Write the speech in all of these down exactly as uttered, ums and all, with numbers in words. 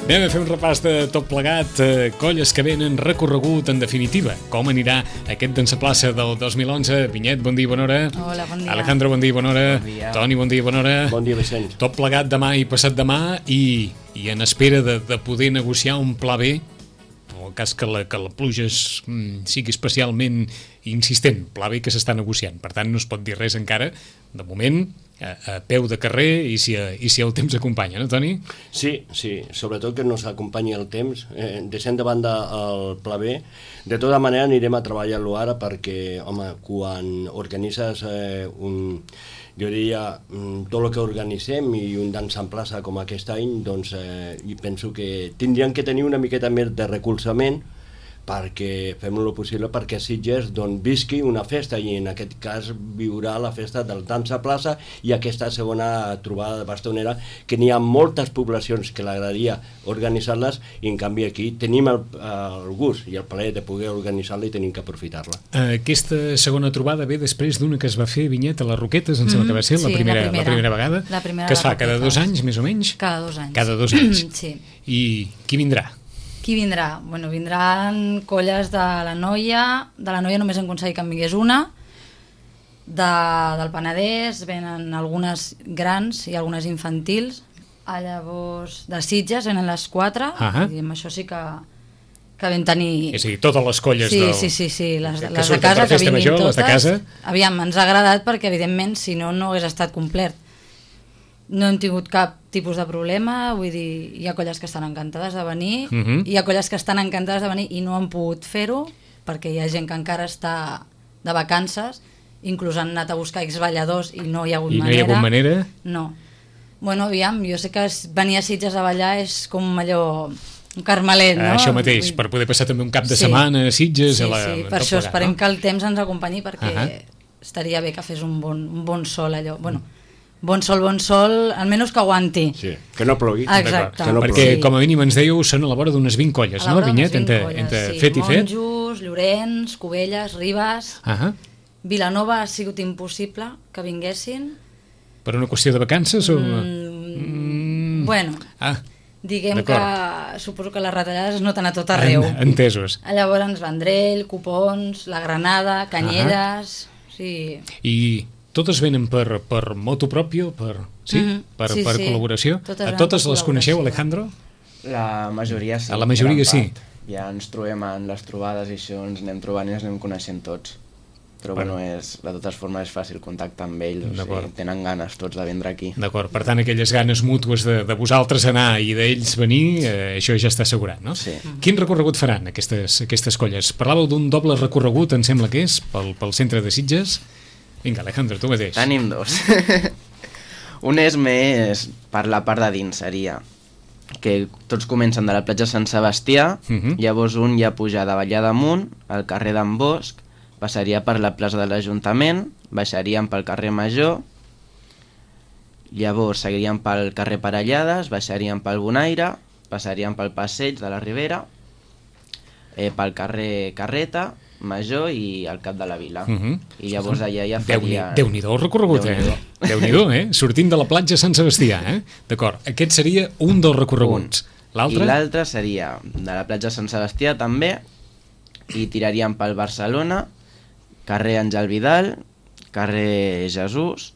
Anem a fer un repàs de tot plegat, eh, colles que venen, recorregut, en definitiva. Com anirà aquest Dansa Plaça del dos mil onze? Vinyet, bon dia, bona hora. Hola, bon dia. Alejandro, bon dia, bona hora. Bon dia. Toni, bon dia, bona hora. Bon dia, Vicenç. Tot plegat demà i passat demà i, i en espera de, de poder negociar un pla B, en el cas que la, que la pluja es, mm, sigui especialment insistent, pla B que s'està negociant. Per tant, no es pot dir res encara, de moment, a, a peu de carrer i si, i si el temps acompanya, no, Toni? Sí, sí, sobretot que nos acompanyi el temps. Eh, deixem de banda el pla B. De tota manera anirem a treballar-lo ara perquè, home, quan organitzes eh, un... jo diria, tot el que organitzem i un dansa en plaça com aquest any, doncs eh, penso que tindrien que tenir una miqueta més de recolzament perquè fem el possible perquè Sitges doncs, visqui una festa i en aquest cas viurà la festa del Dansa Plaça i aquesta segona trobada de bastonera que n'hi ha moltes poblacions que l'agradaria organitzar-les i en canvi aquí tenim el, el gust i el plaer de poder organitzar-la i tenim que aprofitar-la. Aquesta segona trobada ve després d'una que es va fer, Vinyet, a les Roquetes, em sembla que va ser sí, la, primera, la, primera, la primera vegada, la primera que es fa Roquetes. cada dos anys, més o menys? Cada dos anys. Cada dos anys. Sí. I qui vindrà? Qui vindrà? Bueno, vindran colles de la Noia, de la Noia només hem aconseguit que en vingués una, de, del Penedès venen algunes grans i algunes infantils, a llavors de Sitges venen les quatre, Ah. i amb això sí que, que vam tenir... És a dir, totes les colles Sí, del... sí, sí, sí, les, que les de surten casa per que festa vinguin major, totes. les de casa. Aviam, ens ha agradat perquè evidentment si no, no hagués estat complet. No hem tingut cap tipus de problema, vull dir, hi ha colles que estan encantades de venir, Uh -huh. hi ha colles que estan encantades de venir i no han pogut fer-ho perquè hi ha gent que encara està de vacances, inclús han anat a buscar exballadors i no hi ha hagut I no manera. hi ha hagut manera? No. Bueno, aviam, jo sé que es- venir a Sitges a ballar és com allò, un carmelet, no? Ah, això mateix, Vull- per poder passar també un cap de Sí. setmana a Sitges. Sí, a la, sí, tot per això plegat, esperem no? que el temps ens acompanyi perquè Ahà. estaria bé que fes un bon, un bon sol allò. Bueno, bon sol, bon sol, almenys que aguanti. Sí, que no plogui. Exacte. Que no Perquè, Sí. com a mínim ens dèieu, són a la vora d'unes vint colles, A la no, vora Vinyet? d'unes vint Entre, colles, entre sí. fet i fet? Monjos, Llorenç, Cubelles, Ribes... Ah, Vilanova ha sigut impossible que vinguessin. per una qüestió de vacances o...? Mm, bueno, Ah, diguem d'acord. que suposo que les retallades es noten a tot arreu. en, entesos. Llavors Vendrell, Copons, La Granada, Canyelles... Sí. I totes venen per, per moto pròpio, per, sí? Mhm. per, Sí, per sí. col·laboració? Totes A venen totes per les coneixeu, col·laboració. Alejandro? La majoria sí. A la majoria gran sí. part. Ja ens trobem en les trobades i això, ens anem trobant i ens anem coneixent tots. Però Bueno. bueno, és, de totes formes és fàcil contactar amb ells, o D'acord. sigui, tenen ganes tots de vindre aquí. D'acord, per tant, aquelles ganes mútues de, de vosaltres anar i d'ells venir, eh, això ja està assegurat, no? Sí. Quin recorregut faran aquestes, aquestes colles? Parlàveu d'un doble recorregut, em sembla que és, pel, pel centre de Sitges. Vinga, Alejandro, tu mateix. Tenim dos. Un és més per la part de dins, seria que tots comencen de la platja Sant Sebastià, Mhm. llavors un ja puja de Vallà d'Amunt, al carrer d'en Bosch, passaria per la plaça de l'Ajuntament, baixarien pel carrer Major, llavors seguirien pel carrer Parellades, baixarien pel Bonaire, passarien pel Passeig de la Ribera, eh, pel carrer Carreta, Major i al Cap de la Vila. Mhm. I llavors allà ja Déu-n'hi- farien... Déu-n'hi-do el recorregut, eh? Déu-n'hi-do. Déu-n'hi-do, eh? Sortint de la platja Sant Sebastià, eh? D'acord, aquest seria un dels recorreguts. L'altre? I l'altre seria de la platja Sant Sebastià també, i tiraríem pel Barcelona, carrer Àngel Vidal, carrer Jesús,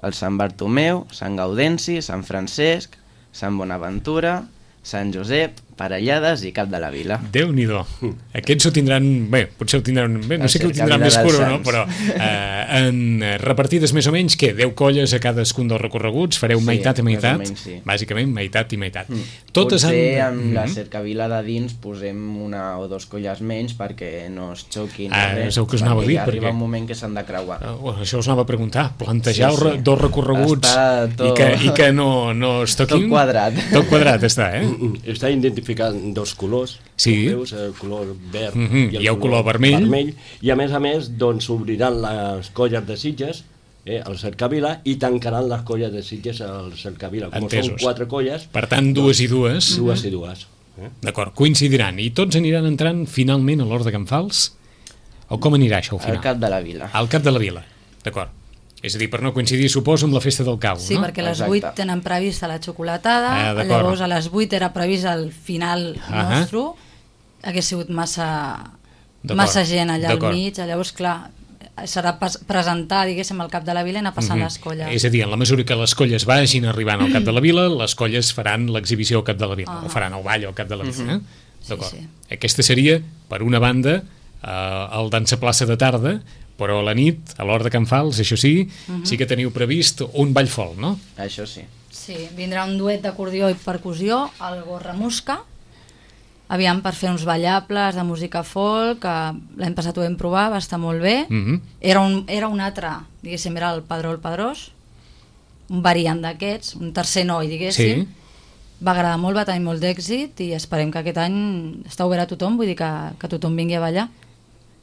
el Sant Bartomeu, Sant Gaudenci, Sant Francesc, Sant Bonaventura, Sant Josep, Parellades i Cap de la Vila. Déu-n'hi-do. Aquests ho tindran... Bé, potser ho tindran... Bé, no La sé que ho cercavila tindran més dels cura o no, Sants. però eh, en eh, repartides més o menys, què? deu colles a cadascun dels recorreguts? Fareu Sí, meitat i més o meitat? menys, sí. Bàsicament, meitat i meitat. Mm. Totes Potser han... amb la Mhm. cercavila de dins posem una o dos colles menys perquè no es xoquin. Ah, res, és el que us anava a perquè dir, ja arriba perquè- un moment que s'han de creuar. Oh, això us anava a preguntar. Plantejar Sí, sí. dos recorreguts Està tot- i, que, i que no, no es toquin... Tot quadrat. Tot quadrat està, eh? Està identificant dos colors, Sí. com veus, el color verd Mhm, i el, i el color vermell. vermell. I a més a més, doncs, obriran les colles de Sitges, eh, el Cercavila, i tancaran les colles de Sitges al Cercavila. Com Entesos. són quatre colles, Per tant, dues i dues. dues i dues. Eh? D'acord, coincidiran. I tots aniran entrant finalment a l'Hort de Can Fals? O com anirà això al Al final? Cap de la Vila. Al Cap de la Vila, d'acord. És a dir, per no coincidir, suposo, amb la festa del cau, Sí, no? perquè a les Exacte. vuit tenen prevista la xocolatada, Ah, d'acord. llavors a les vuit era previst el final Ahà. nostre, hagués sigut massa, D'acord, massa gent allà al d'acord. mig, llavors, clar, serà pas, presentar, diguéssim, al cap de la vila i anar passant Mhm. les colles. És a dir, en la mesura que les colles vagin arribant al cap de la vila, les colles faran l'exhibició al cap de la vila, Ah. o faran el ball al cap de la vila. Eh? D'acord. Sí, Aquesta seria, per una banda, eh, el dansa plaça de tarda, però a la nit, a l'hora de Can Fals, això sí, sí que teniu previst un ball folk, no? Això sí. Sí, vindrà un duet d'acordió i percussió, el Gorramusca, aviam per fer uns ballables de música folk, que l'any passat ho vam provar, va estar molt bé. Mhm. Era, un, era un altre, diguéssim, era el Padró el Padrós, un variant d'aquests, un tercer noi, diguéssim. Sí. Va agradar molt, va tenir molt d'èxit i esperem que aquest any està obert a tothom, vull dir que, que tothom vingui a ballar,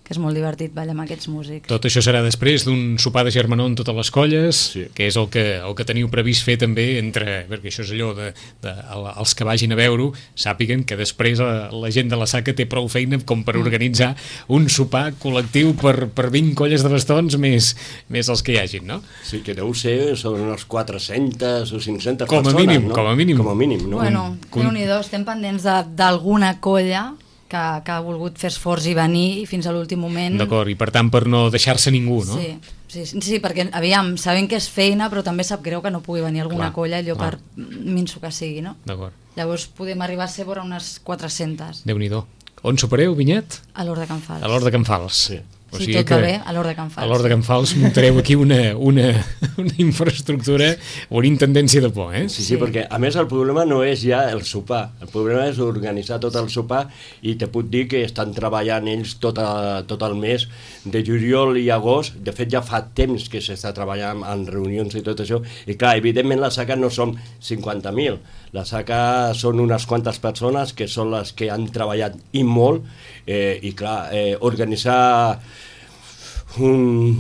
que és molt divertit ballar amb aquests músics. Tot això serà després d'un sopar de germanor amb totes les colles, Sí. que és el que, el que teniu previst fer també entre, perquè això és allò de, de el- els que vagin a veure-ho, sàpiguen que després la, la gent de la Saca té prou feina com per organitzar un sopar col·lectiu per, per vint colles de bastons més, més els que hi hagin, no? Sí, que deu ser, són unes quatre-centes o cinc-centes Com a persones, mínim, no? com a mínim. Com a mínim, no? Bueno, con- Déu-n'hi-do, estem pendents de- d'alguna colla que, que ha volgut fer esforç i venir i fins a l'últim moment. D'acord, i per tant per no deixar-se ningú, no? Sí, sí, sí, sí, perquè aviam, sabem que és feina, però també sap greu que no pugui venir alguna Clar, colla, allò clar. per minso que sigui, no? D'acord, Llavors podem arribar a ser vora unes quatre-centes Déu-n'hi-do. On sopareu, Vinyet? a l'Hort de Can Fals. A l'Hort de Can Fals. Sí. Si tot va bé, a l'Hort de Can Fals. A l'Hort de Can Fals muntareu aquí una, una, una infraestructura o una intendència de por, eh? Sí, sí, Sí. perquè a més el problema no és ja el sopar, el problema és organitzar tot el sopar i te puc dir que estan treballant ells tot, a, tot el mes de juliol i agost, de fet ja fa temps que s'està treballant en reunions i tot això, i clar, evidentment la Saca no som cinquanta mil, la Saca són unes quantes persones que són les que han treballat i molt, eh, i clar, eh, organitzar un,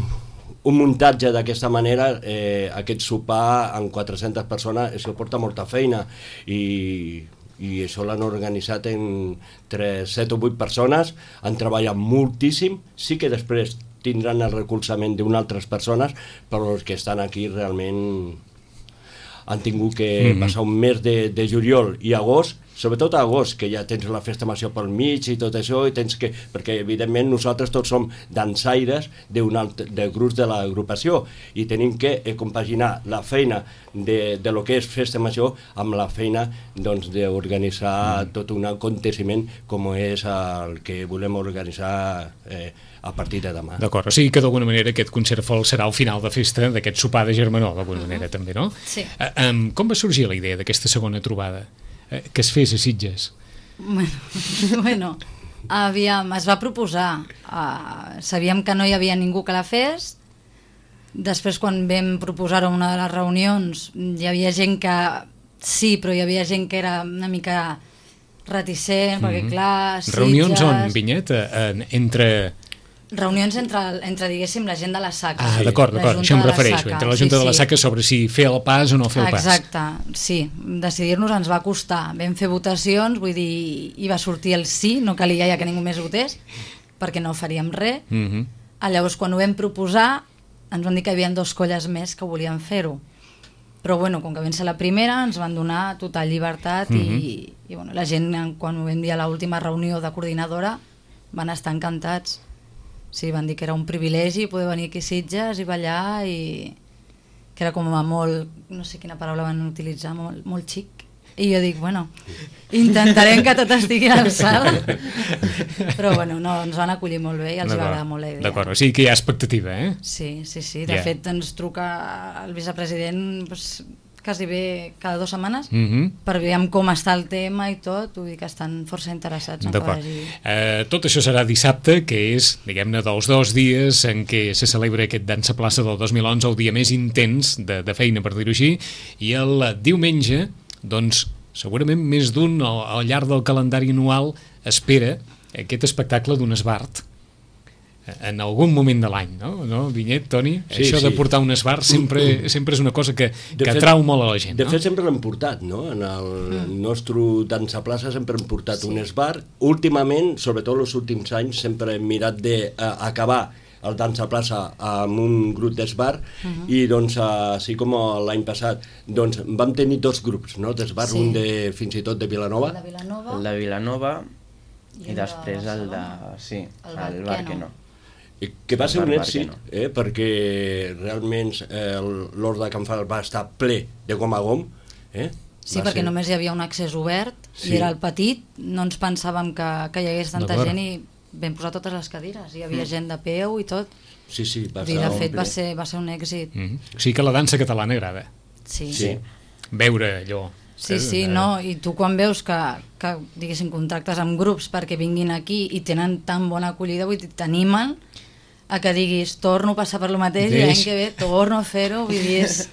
un muntatge d'aquesta manera, eh, aquest sopar amb quatre-centes persones, això porta molta feina i, i això l'han organitzat entre set o vuit persones, han treballat moltíssim, sí que després tindran el recolzament d'unes altres persones, però els que estan aquí realment han tingut que Mhm. passar un mes de, de juliol i agost, sobretot a agost, que ja tens la festa major pel mig i tot això, i tens que, perquè evidentment nosaltres tots som dansaires d'un altre, de grups de l'agrupació i tenim que eh, compaginar la feina de, de lo que és festa major amb la feina doncs, d'organitzar tot un aconteciment com és el que volem organitzar eh, a partir de demà. D'acord, o sigui que d'alguna manera aquest concert folk serà el final de festa d'aquest sopar de germanor, d'alguna manera també, no? Sí. Eh, um, com va sorgir la idea d'aquesta segona trobada? Eh, que es fes a Sitges? Bueno, bueno, aviam, es va proposar. Uh, sabíem que no hi havia ningú que la fes. Després, quan vam proposar-ho en una de les reunions, hi havia gent que sí, però hi havia gent que era una mica reticent, mm -hmm. perquè clar, Sitges... Reunions on, Vinyet? Eh, en- entre... Reunions entre, entre, diguéssim, la gent de la Saca. Ah, Sí. d'acord, La d'acord, Junta això em de la refereixo, Saca. entre la Junta Sí, de la sí. Saca sobre si fer el pas o no fer el pas. Exacte, sí. Decidir-nos ens va costar. Vam fer votacions, vull dir, i va sortir el sí, no calia ja que ningú més votés, perquè no faríem res. Mm -hmm. Ah, llavors, quan ho vam proposar, ens van dir que hi havia dos colles més que volien fer-ho. Però, bueno, com que vam ser la primera, ens van donar total llibertat mm -hmm. i, i bueno, la gent, quan ho vam dir a l'última reunió de coordinadora, van estar encantats. Sí, van dir que era un privilegi poder venir aquí a Sitges i ballar i que era com a molt, no sé quina paraula van utilitzar, molt, molt xic. I jo dic, bueno, intentarem que tot estigui a l'alçada. Però bueno, no, ens van acollir molt bé i els va agradar molt la idea. D'acord, o sigui que hi ha expectativa, eh? Sí, sí, sí. De Ja. fet, ens truca el vicepresident pues, quasi bé cada dues setmanes Mm -hmm. per veure com està el tema i tot. Vull dir que estan força interessats en que D'acord. vagi... Eh, tot això serà dissabte, que és, diguem-ne, dels dos dies en què se celebra aquest Dansa Plaça del dos mil onze, el dia més intens de, de feina, per dir-ho així, i el diumenge, doncs, segurament més d'un al, al llarg del calendari anual espera aquest espectacle d'un esbart en algun moment de l'any, no? no? Vinyet, Toni, Sí, això sí. de portar un esbart sempre, sempre és una cosa que, De que fet- atrau molt a la gent, De no? fet, sempre l'hem portat, no? En el mm. nostre dansa plaça sempre hem portat sí. un esbar. Últimament, sobretot els últims anys, sempre hem mirat d'acabar el Dansa Plaça amb un grup d'esbar, uh-huh. i doncs, així com l'any passat, doncs vam tenir dos grups, no?, d'esbar, Sí. un de, fins i tot de Vilanova. El de Vilanova, El de Vilanova I i, el de després el de... Barcelona. Sí, El el, Bar bar que que no. no. I que va El ser un bar èxit, Barqueno. eh, perquè realment eh, l'Hort de Can Fals va estar ple de gom a gom. Eh? Sí, Va perquè ser- només hi havia un accés obert, Sí. i era el petit, no ens pensàvem que, que hi hagués tanta D'acord. gent i vam posar totes les cadires, hi havia gent de peu i tot. Sí, sí, va I de estar fet ple. va ser, va ser un èxit. Mm -hmm. O sigui que la dansa catalana agrada, Sí, Sí. sí, veure allò. sí, eh, sí eh, no? I tu quan veus que, que diguéssim, contactes amb grups perquè vinguin aquí i tenen tan bona acollida, vull dir, t'animen a que diguis, torno a passar per lo mateix i Deix. l'any que ve torno a fer-ho, vull dir, és,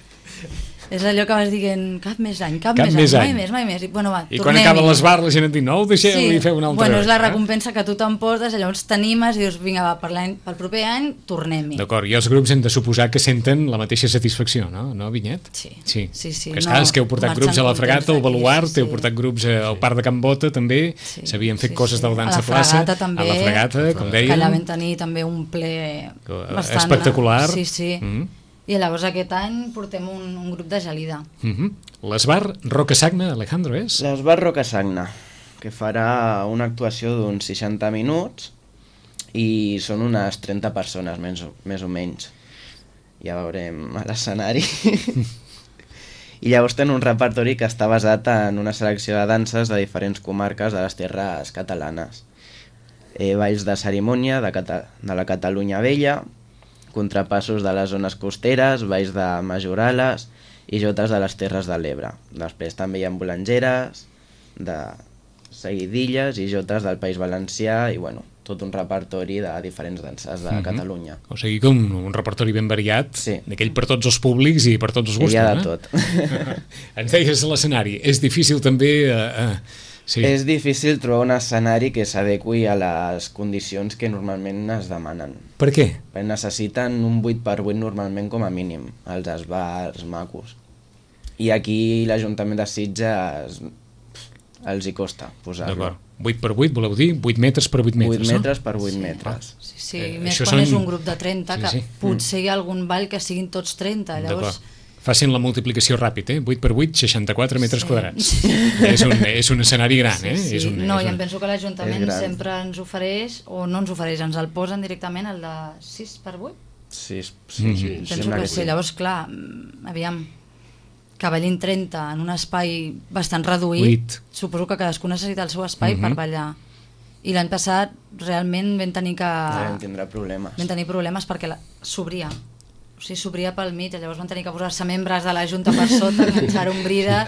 és allò que vas dient, cap més any, cap, Cap més, més any, any. mai més, mai més. I, bueno, va, I quan tornem-hi. acaba l'esbar la gent et diu, no, ho deixeu i feu una altra bueno, és la vegada, eh? recompensa que tu t'emportes, llavors t'animes i dius, vinga, va, per l'any- pel proper any tornem-hi. D'acord, i els grups hem de suposar que senten la mateixa satisfacció, no, no Vinyet? Sí. Sí, Sí, sí, Que és no, clar, és que heu portat marxen grups a la contents Fregata, al d'aquí, Baluart, sí, sí. heu portat grups eh, al Parc de Can Bota, també, Sí, s'havien fet sí, coses sí. del Dansa A la Plaça, Fregata també, a la Fregata, com que allà dèiem, vam tenir també un ple bastant espectacular. Sí, sí. Mm. I llavors aquest any portem un, un grup de gelida. Mm -hmm. L'esbar Roca Sagna, Alejandro, és? L'Esbar Roca Sagna, que farà una actuació d'uns seixanta minuts i són unes trenta persones, més o, més o menys. Ja veurem a l'escenari. I llavors tenen un repertori que està basat en una selecció de danses de diferents comarques de les terres catalanes. Eh, balls de cerimònia de, Cata de la Catalunya Vella, contrapassos de les zones costeres, balls de majorales i jotes de les Terres de l'Ebre. Després també hi ha bolangeres, de seguidilles i jotes del País Valencià i bueno, tot un repertori de diferents danses de Mhm. Catalunya. O sigui que un, un repertori ben variat, Sí. d'aquell per tots els públics i per tots els I gustos. hi ha de eh? tot. Ens deies a l'escenari, és difícil també... Eh, eh, sí. És difícil trobar un escenari que s'adequi a les condicions que normalment es demanen. Per què? Perquè necessiten un vuit per vuit normalment com a mínim, els esbars macos. I aquí l'Ajuntament de Sitges els hi costa posar-lo. D'acord. vuit per vuit, voleu dir? vuit metres per vuit metres, vuit metres no? per vuit Sí. metres. Sí, sí, Eh, més això quan són- és un grup de trenta, Sí, que sí. potser hi ha algun ball que siguin tots trenta, llavors... D'acord. Facin la multiplicació ràpid, eh? vuit per vuit, seixanta-quatre metres Sí. quadrats. És un, és un escenari gran, eh? Sí, És sí. un, No, és i un... em penso que És l'Ajuntament gran. sempre ens ofereix, o no ens ofereix, ens el posen directament, el de sis per vuit. Sí, sí, Mhm. sí, Penso sembla que que sí, sí. llavors, clar, mm, aviam, que ballin trenta en un espai bastant reduït, Buit. suposo que cadascú necessita el seu espai Mhm. per ballar. I l'any passat realment vam tenir que... Vam tindrà problemes. vam tenir problemes perquè la- s'obria. O sigui, s'obria pel mig, llavors van tenir que posar-se membres de la Junta per sota, enganxar un brida.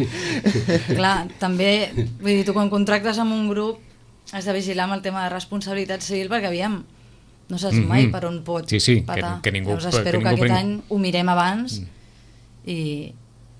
Clar, també, vull dir, tu quan contractes amb un grup has de vigilar amb el tema de responsabilitat civil perquè, aviam, no saps Mhm. mai per on pot Sí, sí, que- patar. que ningú- Llavors que espero que, ningú aquest prenc- any ho mirem abans i,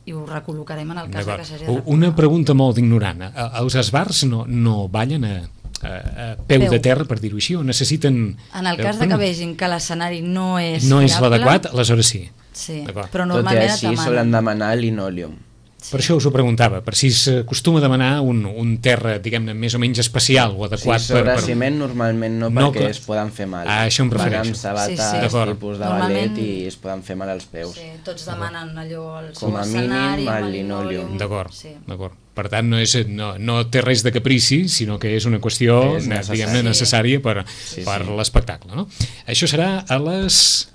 i ho recol·locarem en el cas de D'acord. que s'hagi de U- recol·locar. Una pregunta molt ignorant. A- Els esbars no, no ballen a, a, a peu, Peu. de terra, per dir-ho així, o necessiten... En el cas de que vegin que l'escenari no és no és fiable, l'adequat, aleshores sí. sí, D'acord. però Tot i normalment et així demanen. solen demanar linòleum. Per això us ho preguntava, per si s'acostuma a demanar un, un terra, diguem-ne, més o menys especial o Sí, adequat sobre per... per... ciment normalment no, No, perquè clar. es poden fer mal. Ah, això em Van refereixo. amb sabates, Sí, sí. D'acord. tipus de Normalment- ballet i es poden fer mal als peus. Sí, tots demanen allò al seu Com a mínim, escenari, amb el el linòleum. linòleum. D'acord, Sí. d'acord. Per tant, no, és, no, no té res de caprici, sinó que és una qüestió És eh, necessari. diguem-ne necessària per, Sí, per sí. l'espectacle. No? Això serà a les,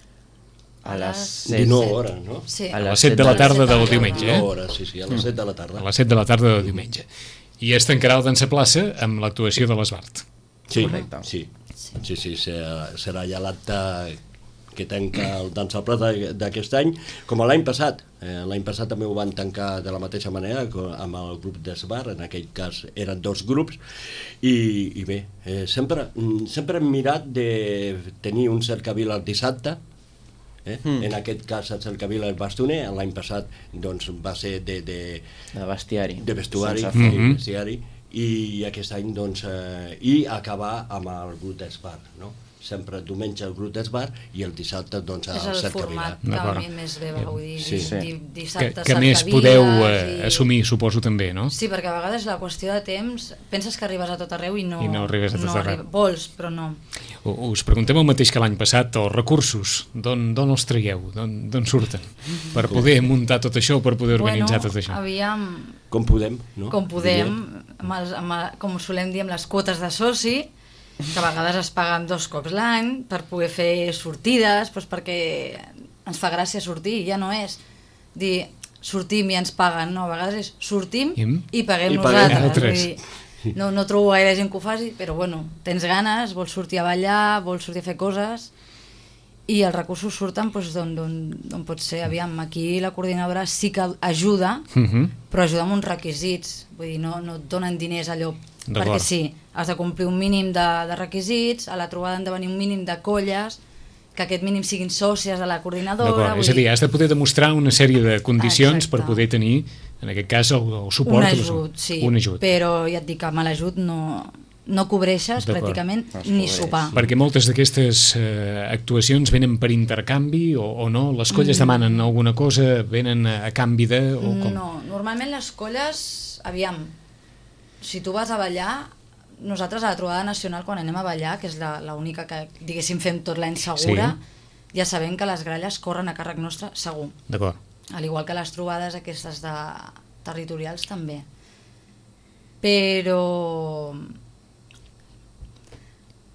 A les set. dinou set. hores, no? Sí. A a les les set de la set de la tarda del tarda. diumenge. dinou Eh? hores, sí, sí, a les set de la tarda. A les set de la tarda del diumenge. I es tancarà el Dansa Plaça amb l'actuació de l'Esbart. Sí, Correcte. sí, sí, sí, serà, serà ja l'acte que tanca el Dansa Plaça d'aquest any, com l'any passat. Eh, l'any passat també ho van tancar de la mateixa manera, co- amb el grup d'Esbar, en aquell cas eren dos grups, i, i bé, eh, sempre, mm, sempre hem mirat de tenir un cercavila el dissabte, eh? Mm. En aquest cas el cercavila el bastoner, l'any passat doncs, va ser de, de, de bestiari. de vestuari, Sense Mhm. sí, vestuari, i aquest any doncs, eh, i acabar amb el grup d'esbar, no? Sempre diumenge el grup d'esbar i el dissabte doncs És el el cercavila. format que a D'acord. mi més bé va, vull dir, Sí. sí. di, Que, dissabte que més cercaviles podeu eh, i- assumir, suposo, també, no? Sí, perquè a vegades la qüestió de temps, penses que arribes a tot arreu i no, I no arribes a tot arreu. arriba- vols, però no. us preguntem el mateix que l'any passat, els recursos, d'on els traieu, d'on surten, per poder muntar tot això, per poder organitzar bueno, tot això? Aviam... Com podem, no? Com podem, amb els, amb, com solem dir, amb les quotes de soci, que a vegades es paguen dos cops l'any, per poder fer sortides, doncs perquè ens fa gràcia sortir, ja no és dir sortim i ens paguen, no, a vegades és sortim I, i paguem i paguem nosaltres. Vull dir, no, no trobo gaire gent que ho faci, però bueno, tens ganes, vols sortir a ballar, vols sortir a fer coses, i els recursos surten doncs, d'on pot ser. Aviam, aquí la coordinadora sí que ajuda, uh -huh. però ajuda amb uns requisits, vull dir, no, no et donen diners allò, perquè sí, has de complir un mínim de, de requisits, a la trobada han de venir un mínim de colles, que aquest mínim siguin sòcies de la coordinadora. És a dir, has de poder demostrar una sèrie de condicions Exacte. per poder tenir, en aquest cas, el, el suport. Un ajut, sí, un ajut. Però ja et dic que amb l'ajut no, no cobreixes pràcticament ni sopar. Perquè moltes d'aquestes eh, actuacions venen per intercanvi o, o no? Les colles mm. demanen alguna cosa, venen a, a canvi de... O com? No, normalment les colles, aviam, si tu vas a ballar, nosaltres a la trobada nacional quan anem a ballar, que és l'única que diguéssim fem tot l'any segura, sí. ja sabem que les gralles corren a càrrec nostre segur. D'acord. Al igual que les trobades aquestes de territorials també. Però...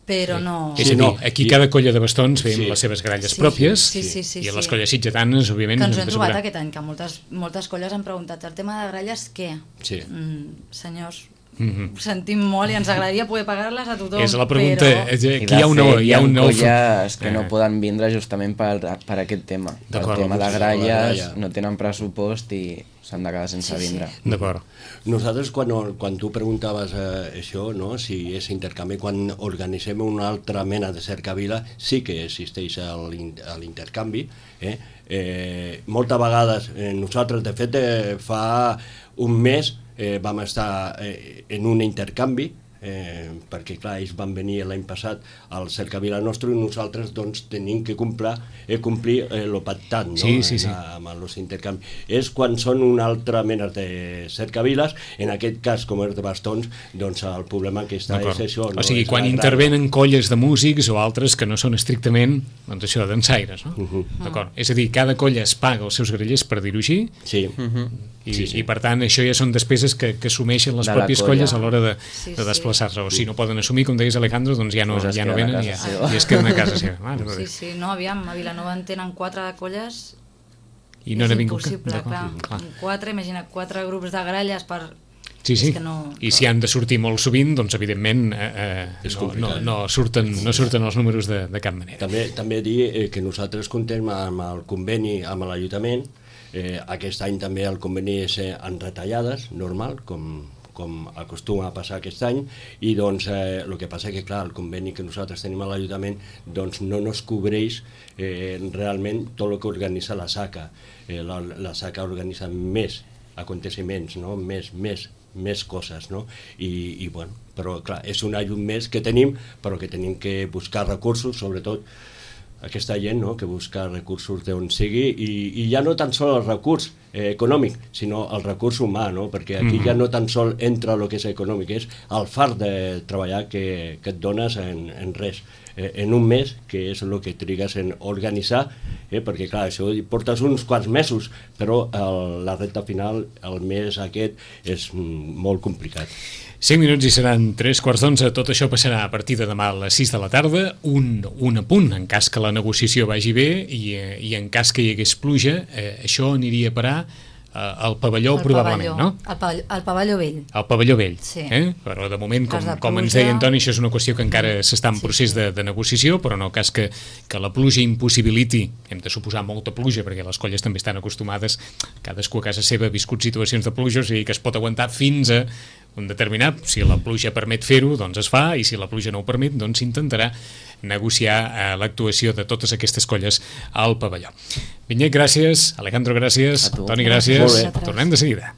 Però sí. no... És a dir, aquí cada colla de bastons ve amb sí. les seves gralles sí, pròpies sí, sí, sí, i a sí. les colles sitgetanes, òbviament... Que ens hem trobat aquest any, que moltes, moltes colles han preguntat el tema de gralles, què? Sí. Mm, senyors... Mm-hmm. Ho sentim molt i ens agradaria poder pagar-les a tothom. És la pregunta, però... aquí hi ha una... Hi ha, un nou... colles que no poden vindre justament per, per aquest tema. Per el tema de gralles, no tenen pressupost i s'han de quedar sense sí, vindre. Sí. D'acord. Nosaltres, quan, quan tu preguntaves eh, això, no? Si és intercanvi, quan organitzem una altra mena de cercavila, sí que existeix l'intercanvi. Eh? Eh, moltes vegades, eh, nosaltres, de fet, eh, fa un mes eh, vam estar eh, en un intercanvi, eh, perquè clar, ells van venir l'any passat al cercavila nostre i nosaltres doncs tenim que complir, eh, complir eh, lo pactat, no? Sí, sí, sí. amb els intercanvis. És quan són una altra mena de cercaviles, en aquest cas com és de bastons, doncs el problema que està és això. No? O sigui, és quan intervenen colles de músics o altres que no són estrictament, doncs això, dansaires, no? Uh -huh. D'acord. És a dir, cada colla es paga els seus grallers, per dir-ho així, sí. Uh -huh. I, sí, sí. i per tant això ja són despeses que, que assumeixen les de pròpies colla. colles a l'hora de, sí, de desplaçar-se, o sí. si no poden assumir, com deies Alejandro, doncs ja no, pues ja no venen i, ja, i es queden a casa seva. Ah, sí, sí, no, aviam, a Vilanova en tenen quatre de colles i no és n'ha vingut impossible, clar, clar. Quatre, imagina, quatre grups de gralles per... Sí, sí, que no... i si han de sortir molt sovint, doncs evidentment eh, eh, no, no, no, surten, no surten els números de, de cap manera. També, també dir eh, que nosaltres contem amb el conveni amb l'Ajuntament. Eh, aquest any també el conveni és eh, en retallades, normal, com, com acostuma a passar aquest any, i doncs eh, el que passa que clar, el conveni que nosaltres tenim a l'Ajuntament doncs no nos cobreix eh, realment tot el que organitza la SACA. Eh, la, la SACA organitza més aconteciments, no? més, més, més coses, no? I, i bueno, però clar, és un ajut més que tenim, però que tenim que buscar recursos, sobretot aquesta gent, no?, que busca recursos d'on sigui, i, i ja no tan sol el recurs eh, econòmic, sinó el recurs humà, no?, perquè aquí mm-hmm. ja no tan sol entra el que és econòmic, és el fart de treballar que, que et dones en, en res, eh, en un mes, que és el que trigues en organitzar, eh, perquè clar, això portes uns quants mesos, però el, la recta final, el mes aquest, és mm, molt complicat. cinc minuts i seran tres quarts d'onze. Tot això passarà a partir de demà a les sis de la tarda. Un, un apunt, en cas que la negociació vagi bé i, i en cas que hi hagués pluja, eh, això aniria a parar eh, al pavelló, el probablement, pavelló, no? Al pavelló, al pavelló vell. Al pavelló vell, sí. eh? Però de moment, com, de com ens deia Antoni, això és una qüestió que encara s'està en sí, procés sí. de, de negociació, però en el cas que, que la pluja impossibiliti, hem de suposar molta pluja, perquè les colles també estan acostumades, cadascú a casa seva ha viscut situacions de pluja, o sigui que es pot aguantar fins a un determinat, si la pluja permet fer-ho, doncs es fa, i si la pluja no ho permet, doncs s'intentarà negociar eh, l'actuació de totes aquestes colles al pavelló. Vinyet, gràcies. Alejandro, gràcies. Antoni, gràcies. Molt bé. Tornem de seguida.